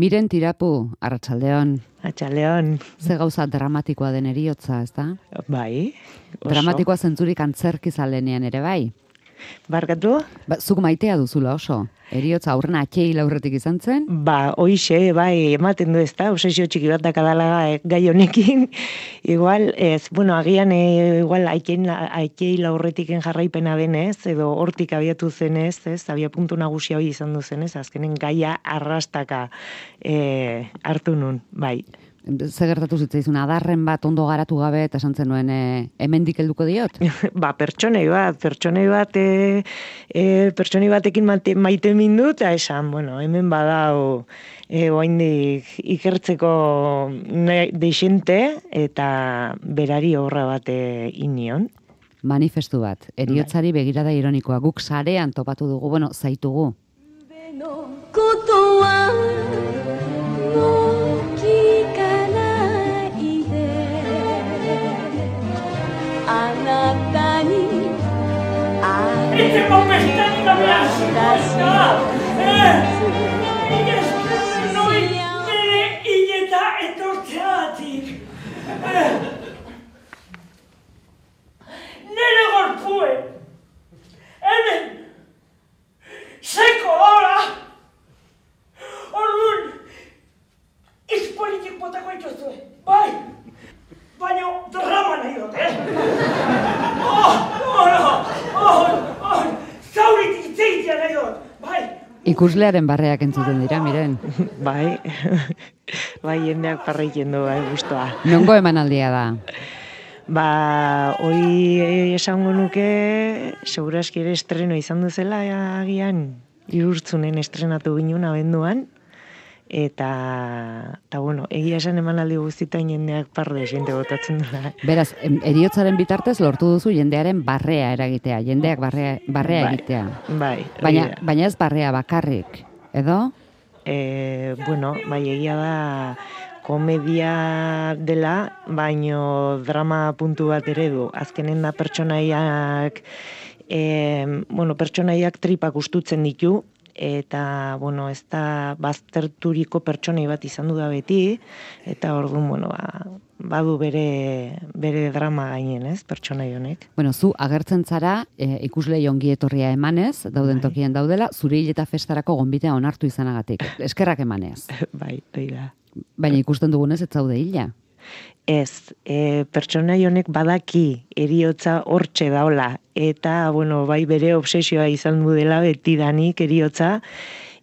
Miren Tirapu, arratsaldeon. Arratsaldeon. Ze gauza dramatikoa den heriotza, ezta? Bai. Dramatikoa zentzurik antzerkizalenean ere bai. Barkatu? Zuk maitea duzula oso. Heriotza aurrena atxeil aurretik izan zen? Hoixe, bai, ematen du ezta, obsesio txiki bat dakadala gai honekin. Igual, agian igual atxeil aurretiken jarraipena denez, edo hortik abiatu zenez, abia puntu nagusia hori izan du zenez, azkenen gaia arrastaka hartu nun, bai. Ze gertatu zitzaizun, adarren bat ondo garatu gabe, eta esan zenuen hemendik helduko diot? Pertsonei batekin maite mindu, eta esan, hemen badau oaindik ikertzeko deixente, eta berari horra bat inion. Manifestu bat, heriotzari begirada ironikoa, guk sarean topatu dugu, zaitugu. Este popestan gabeaz! Noi nire hileta etortzeatik! Nire gorpuen! Hemen! Seko hola! Orduan! Izpolitik botako ituzue! Bai! Baina drama nahi dut, zauritik zeitia nahi dut, bai! Ikuslearen barreak entzuten dira, Miren. Bai, jendeak parreiken du, guztua. Nongo emanaldia da? Hoi esango nuke, segurazki ere estreno izan duzela, agian, Irurtzunen estrenatu ginen abenduan, eta egia esan emanaldi guztietan jendeak parre jende botatzen dela. Beraz, heriotzaren bitartez lortu duzu jendearen barrea eragitea, jendeak barrea egitea. Bai. Baina ez barrea bakarrik, edo? Egia da komedia dela, baino drama puntu bat ere du. Azkenen da pertsonaiak tripak ustutzen ditu, eta, ez da bazterturiko pertsonei bat izan du da beti, eta orduan, badu bere drama gainen, pertsonai honek. Zu agertzen zara, ikuslei ongi etorria emanez, dauden tokien daudela, zure hileta festarako gonbitea onartu izanagatik. Eskerrak emanez. Bai, da. Baina ikusten dugunez ez zaude hila. Ez, pertsonai honek badaki heriotza hortxe daola, eta, bai bere obsesioa izan du dela betidanik heriotza,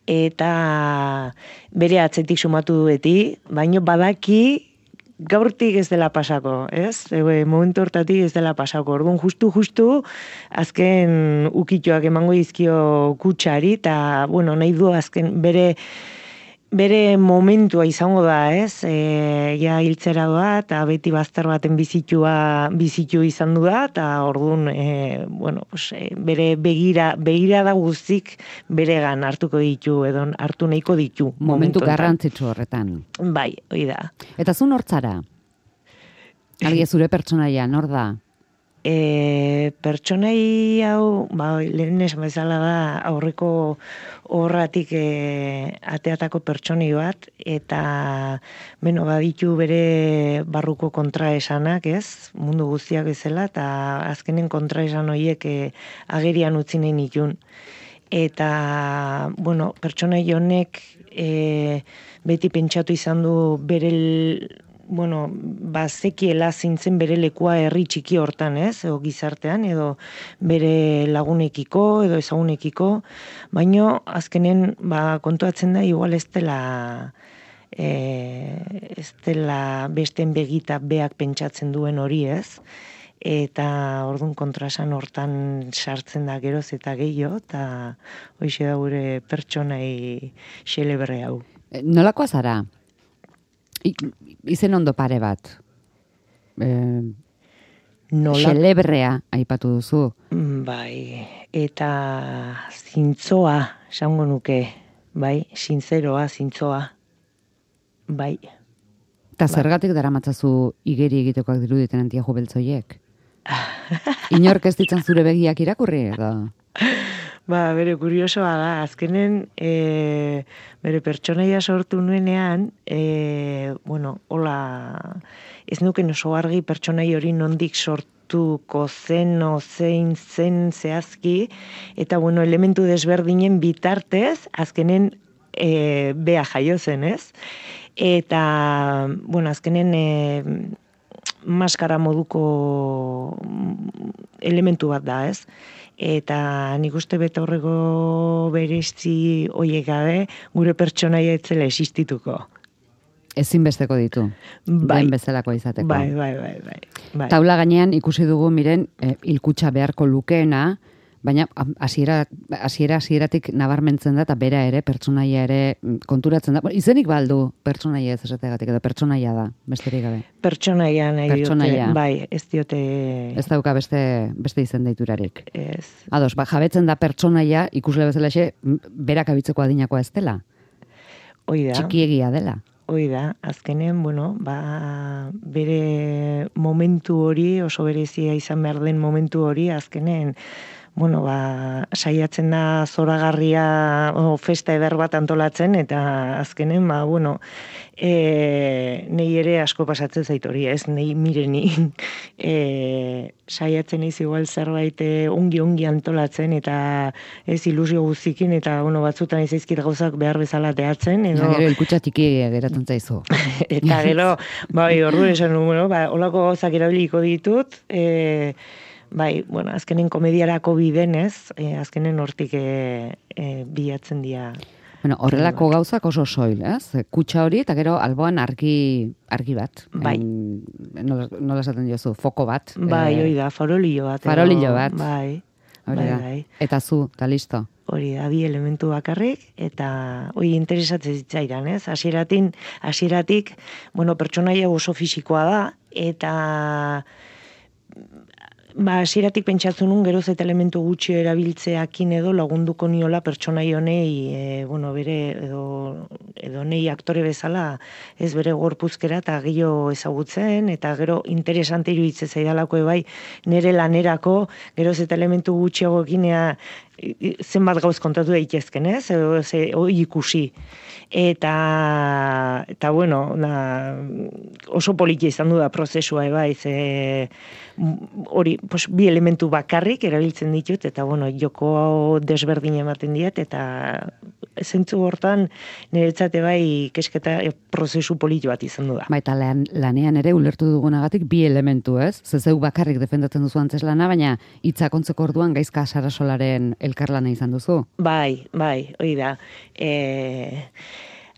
eta bere atzetik sumatu du beti, baina badaki gaurtik ez dela pasako, ez? Momentu hortatik ez dela pasako. Orduan, justu, azken ukituak emango izkio kutsari, eta, nahi du azken bere momentua izango da, ez? Ja hiltzera doa, eta beti bazter baten bizitu izan du da, eta orduan, bere begira da guztik beregan hartuko ditu, edo hartu nahiko ditu. Momentu garrantzitsu horretan. Bai, hori da. Eta zu nortzara? Algia zure pertsonaia, nor da? Pertsonai hau, lehen esan bezala da, aurreko horratik ateatako pertsonai bat, eta baditu bere barruko kontraesanak, ez? Mundu guztiak bezala, eta azkenen kontraesan horiek agerian utzi nahi nitun. Eta, pertsonai honek beti pentsatu izan du bere zekiela zintzen bere lekua herri txiki hortan, ez? Edo gizartean, edo bere lagunekiko, edo ezagunekiko, baino azkenen kontuatzen da, igual ez dela besten begita beak pentsatzen duen hori, ez? Eta orduan kontrasan hortan sartzen da geroz eta gehiago, eta hoxe da gure pertsonai xelebre hau. Nolakoa zara? Izen ondo pare bat. Xelebrea aipatu duzu. Bai, eta zintzoa, esango nuke, bai, zintzoa, bai. Eta zergatik daramatzazu igeri egitekoak diruditen antiajo beltzoiek? Inork ez ditzan zure begiak irakurri, edo? Bere kuriosoa da, azkenen bere pertsonaia sortu nuenean, hola, ez nuken oso argi pertsonai hori nondik sortuko zen, zein zen zehazki, eta elementu desberdinen bitartez, azkenen bea jaio zen, ez? Eta, azkenen maskara moduko elementu bat da, ez? Eta nik uste betaurreko berezi hoiek gabe, gure pertsonaia etzela existituko. Ezinbesteko ditu, den bezalako izateko. Bai. Taula gainean ikusi dugu miren hilkutxa beharko lukeena, baina hasieratik nabarmentzen da, eta bera ere, pertsonaia ere konturatzen da. Izenik baldu pertsonaia ez esategatik, edo pertsonaia da, besterik gabe. Pertsonaia nahi diote, bai, ez diote... Ez dauka beste izen deiturarik. Ez. Ados, jabetzen da pertsonaia, ikusle bezalaxe, berak abitzeko adinakoa ez dela. Hoi da. Txikiegia dela. Hoi da, azkenen, bere momentu hori, oso berezia izan behar den momentu hori, azkenen, saiatzen da zoragarria festa eder bat antolatzen, eta azkenen, nei ere asko pasatzen zait hori, ez, nei mireni, saiatzen ez igual zerbait ongi antolatzen, eta ez ilusio guztikin, eta batzutan ez izkit gauzak behar bezala teatzen, edo... Gero hilkutxa tiki geratzen zaizu. Eta gero, ordu esan, holako gauzak erabiliko ditut, azkenen komediarako bidenez, azkenen hortik bilatzen dira. Horrelako gauzak oso soil, ez? Kutxa hori, eta gero alboan argi bat. Bai. Nola esaten diozu, foko bat. Hori da, farolillo bat. Farolillo bat. Bai. Eta zu, eta listo. Hori da, bi elementu bakarrik, eta hori interesatzen zitzaidan, ez? Hasieratik, pertsonaia oso fisikoa da, eta hasieratik pentsatzen nun geroz eta elementu gutxi erabiltzeakin edo lagunduko niola pertsonai honei, bere edo nei aktore bezala ez bere gorpuzkera eta gehiago ezagutzen, eta gero interesante iruditzen zaidalako bai nire lanerako geroz eta elementu gutxiagoekin zenbat gauz kontatu daitezken, ez? Hoi ikusi. Eta oso politia izan du da prozesua, bai, hori, bi elementu bakarrik erabiltzen ditut, eta joko desberdin ematen diet, eta zentzu hortan niretzate bai kesketa prozesu politu bat izan du da. Eta lanean ere ulertu dugunagatik bi elementu, ez? Zeu bakarrik defendatzen duzu antzes lana, baina hitzak ontzeko orduan Gaizka Sarasolaren elkarlana izan duzu. Bai, hori da.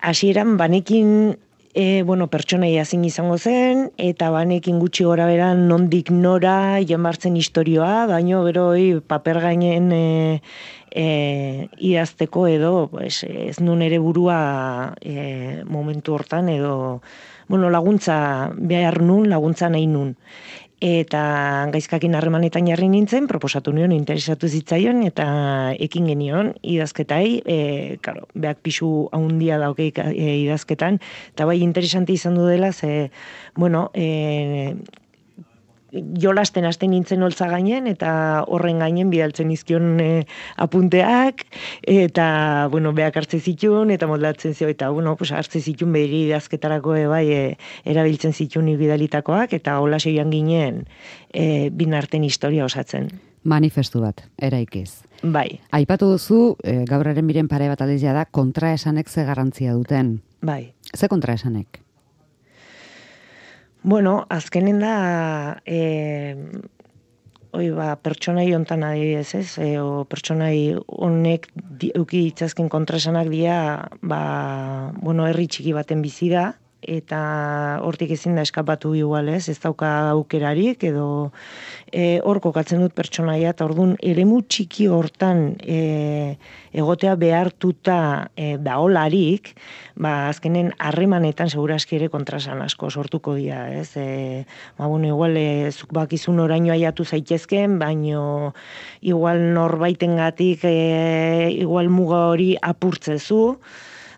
Hasieran banekin pertsonaia zein izango zen, eta banekin gutxi gora beran nondik nora jamartzen istorioa, baino gero paper gainen idazteko edo ez nun ere burua momentu hortan edo laguntza behar nun, laguntza nahi nun. Eta Gaizkakin harremanetan jarri nintzen, proposatu nion, interesatu zitzaion, eta ekin genion idazketai, beak pixu haundia dauke idazketan, eta bai interesanti izan du dela, jolasten hasten nintzen holtza gainen, eta horren gainen bidaltzen izkion apunteak, eta, beak hartze zituen, eta moldatzen zio, eta, hartze zituen behiri idazketarako erabiltzen zituen bidalitakoak, eta hola joan ginen bin arten historia osatzen. Manifestu bat, eraikiz. Bai. Aipatu duzu, gauraren miren pare bat aldizia da, kontraesanek ze garrantzia duten. Bai. Ze kontraesanek? Azkenen da, pertsonai hontan adibidez, ez? Pertsonai honek euki ditzazken kontraesanak dira, herri txiki baten bizi da, eta hortik ezin da eskapatu igual, ez dauka aukerarik, edo hor kokatzen dut pertsonaia, eta orduan eremu txiki hortan egotea behartuta daolarik, azkenen harremanetan seguraski ere kontrasan asko sortuko dira, ez? Igual zuk bakizun oraino aiatu zaitezken, baino igual norbaitengatik igual muga hori apurtzezu,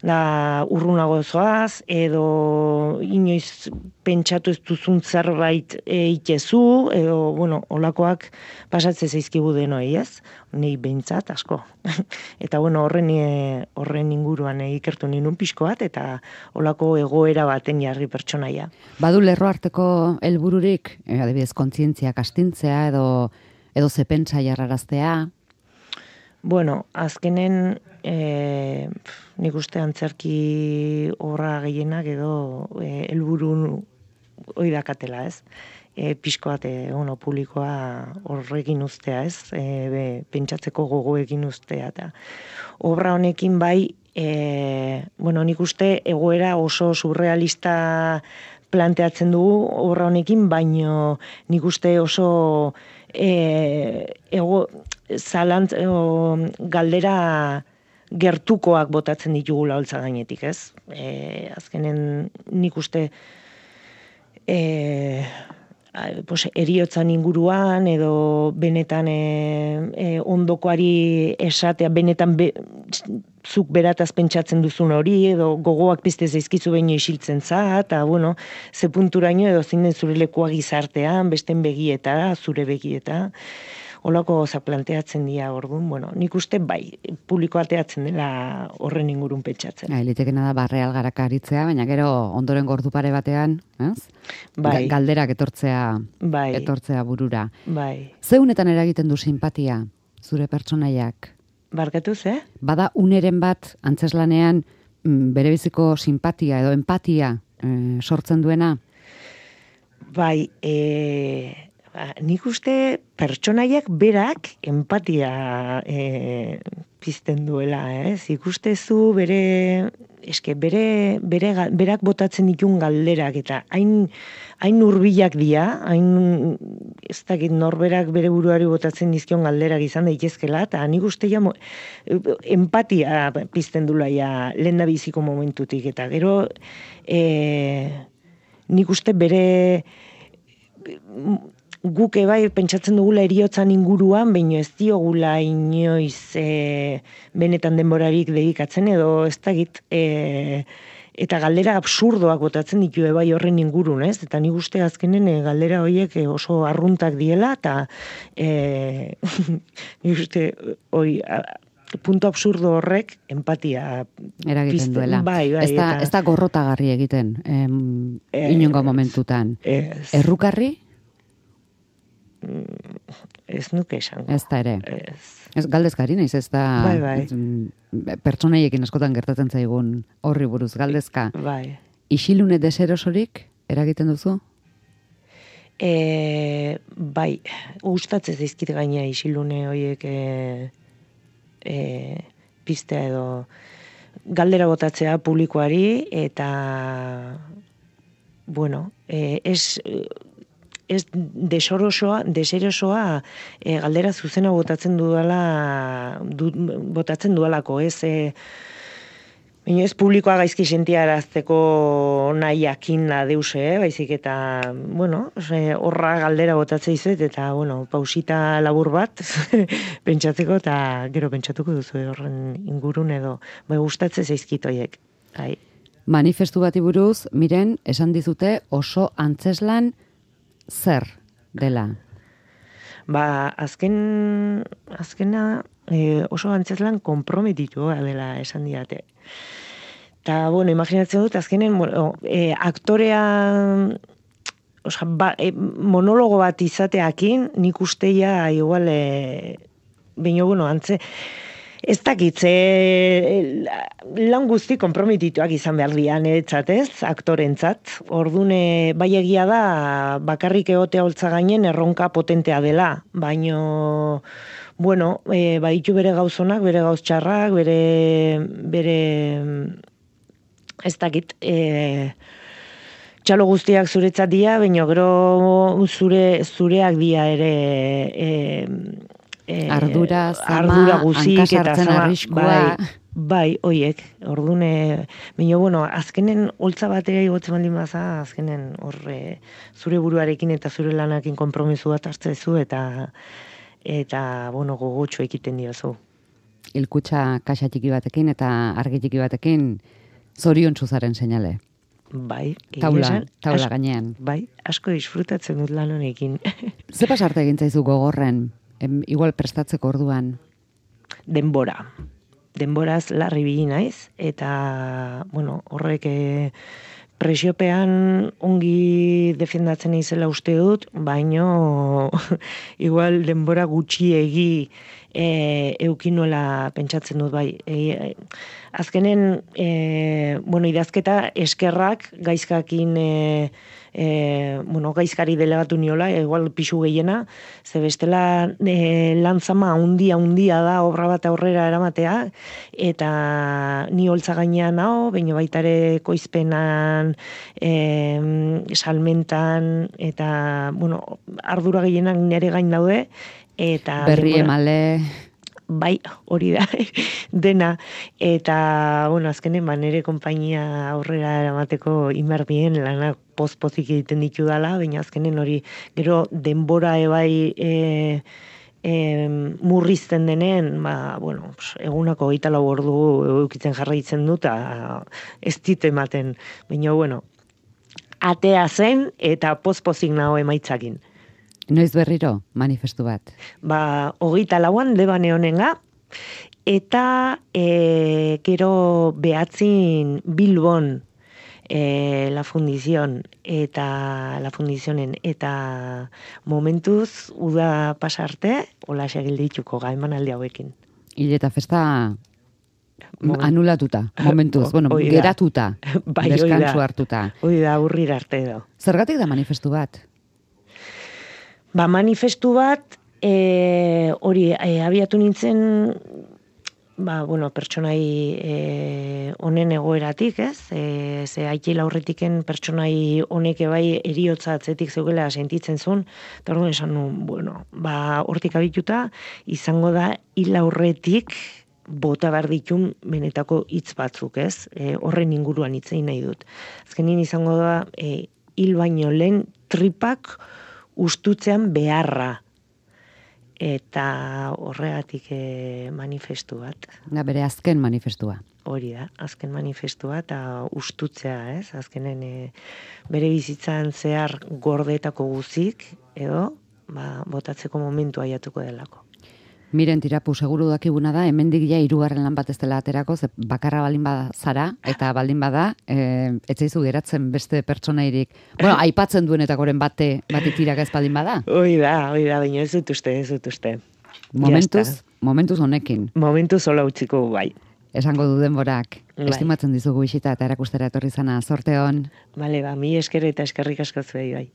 da urrunago zoaz, edo inoiz pentsatu ez duzun zerbait itezu, edo, bueno, olakoak pasatze zaizkigu denoi, ez? Nei behintzat asko. Eta, bueno, horren inguruan ikertu ninun pixko bat, eta olako egoera baten jarri pertsonaia. Badu lerro arteko helbururik, adibidez, kontzientziak astintzea, edo ze pentsa jarraraztea? Bueno, azkenen nik uste antzerki obra gehienak edo helburu hori dakatela, ez? Pixko bat, publikoa horrekin ustea, ez? Pentsatzeko gogoekin ustea. Eta obra honekin bai, nik uste egoera oso surrealista planteatzen dugu obra honekin, baino nik uste oso galdera gertukoak botatzen ditugula holtza gainetik, ez? Azkenen nik uste heriotzan inguruan edo benetan ondokoari esatea, benetan zuk berataz pentsatzen duzun hori, edo gogoak pizte zaizkizu baino isiltzen za, eta, bueno, ze punturaino edo zinen zure lekua gizartean, besten begieta, zure begieta, holako goza planteatzen dira orduan, bueno, nik uste bai, publiko ateatzen dela horren ingurun pentsatzen. Litekena da barreal garaka aritzea, baina gero ondoren gordu pare batean, ez? Bai. Galderak etortzea burura. Bai. Zeunetan eragiten du simpatia, zure pertsonaiak? Barkatu, ze? Bada uneren bat, antzeslanean, berebiziko simpatia edo empatia sortzen duena? Bai, nik uste pertsonaiak berak empatia pizten duela, ez? Ikustezu berak botatzen ditun galderak, eta hain hurbilak dira, hain ez dakit norberak bere buruari botatzen dizkion galderak izan daitezkela, eta nik uste empatia pizten duela lehendabiziko momentutik, eta gero nik uste bere guk bai pentsatzen dugula heriotzan inguruan, baino ez diogula inoiz benetan denborarik dedikatzen, edo ez dakit, eta galdera absurdoak botatzen ditu bai horren ingurun, ez? Eta nik uste azkenen galdera horiek oso arruntak diela, eta nik uste punto absurdo horrek empatia eragiten duela. Bai, ez da gorrotagarri egiten inongo momentutan. Errukarri? Ez nuke esango. Ez da ere. Ez galdezkari naiz, ez da pertsonaiekin askotan gertatzen zaigun horri buruz galdezka. Bai. Isilune deserosorik eragiten duzu? Bai, gustatzen zaizkit gaina isilune horiek piztea edo galdera botatzea publikoari, eta bueno, ez deserosoa galdera zuzena botatzen dudalako, baina ez publikoa gaizki sentiarazteko nahiakin deuse, baizik eta, bueno, horra galdera botatzea izet, eta, bueno, pausita labur bat pentsatzeko, eta gero pentsatuko duzu horren ingurun edo, bai gustatzen zaizkitoiek. Manifestu bati buruz, Miren, esan dizute oso antzeslan zer dela? Azkena oso antzeslan konprometitua dela esan diate. Eta, bueno, imaginatzen dut, azkenen, aktorea monologo bat izateakin, nik usteia igual, baina, bueno, ez dakitze lan guzti konprometituak izan behar dian etzatez, aktorentzat. Ordune, bai egia da, bakarrik egotea holtza gainen erronka potentea dela, baino, bueno, baditu bere gauzonak, bere gauz txarrak, bere ez dakit, txalo guztiak zuretzat dira, baina gero zureak dira ere ardura, zama, hankasartzen arriskua. Bai, oiek, ordune, baina, bueno, azkenen holtza batera igotzen baldin baza, azkenen horre zure buruarekin eta zure lanakin konpromisu bat hartzezu, eta bueno, gogotxo ekiten diozu. hilkutxa kaxa txiki batekin eta argi txiki batekin zorion zaren seinale. Bai, egia esan, Taula gainean. bai, asko disfrutatzen dut lan honekin. Ze pasarte egin zaizu gogorren, igual prestatzeko orduan? Denbora. Denboraz larri bili naiz, eta, bueno, horrek presiopean ongi defendatzen izela uste dut, baino igual denbora gutxiegi eukinuela pentsatzen dut bai. Azkenen, bueno, idazketa eskerrak gaizkakin gaizkari delegatu niola, igual pixu gehiena, ze bestela lantzama handia da obra bat aurrera eramatea, eta ni holtza gainean hau, baina baitare koizpenan, salmentan, eta, bueno, ardura gehienak nire gain daude, eta berri emale... Bai, hori da, dena, eta, bueno, azkenen, nire konpainia aurrera eramateko inberdien lanak pozik egiten ditu dala, baina azkenen hori, gero denbora ebai murrizten denen, bueno, egunako 24 ordu eukitzen jarraitzen dut, ez dit ematen, baina, bueno, atea zen eta pozik nago emaitzakin. Noiz berriro, manifestu bat? 24an Lebane honenga, eta gero behatzin Bilbon la fundizion eta la fundizionen, eta momentuz uda pasarte, hola segildituko emanaldi hauekin. Hile eta festa anulatuta, momentuz, bueno, geratuta, deskantsu hartuta. Hoi da, urrir arte edo. Zergatik da manifestu bat? Manifestu bat, hori, abiatu nintzen, bueno, pertsonai honen egoeratik, ez? Ze haitila horretiken pertsonai honek bai eriotza atzetik zeugela sentitzen zuen, eta orduan esan nuen, bueno, hortik abituta, izango da hil aurretik bota behar ditun benetako hitz batzuk, ez? Horren inguruan hitzein nahi dut. Azkenin izango da, hil baino lehen tripak ustutzean beharra, eta horregatik manifestu bat. Da bere azken manifestua. Hori da, azken manifestua eta ustutzea, ez? Azkenen bere bizitzan zehar gordetako guzik, edo botatzeko momentu aiatuko delako. Miren Tirapu, seguru dakiguna da, hemendik ja 3. lan bat ez dela aterako, ze bakarra baldin bada zara, eta baldin bada, etzaizu geratzen beste pertsonairik. Bueno, aipatzen duenetakoren batik tirak ez baldin bada. Hoi da, baina ez dut uste. Momentuz honekin. Momentuz hola utziko bai. Esango du denborak. Bai. Estimatzen dizugu bisita eta erakustera etorri zana. Zorte hon. Bale, mi esker eta eskerrik asko zuei bai.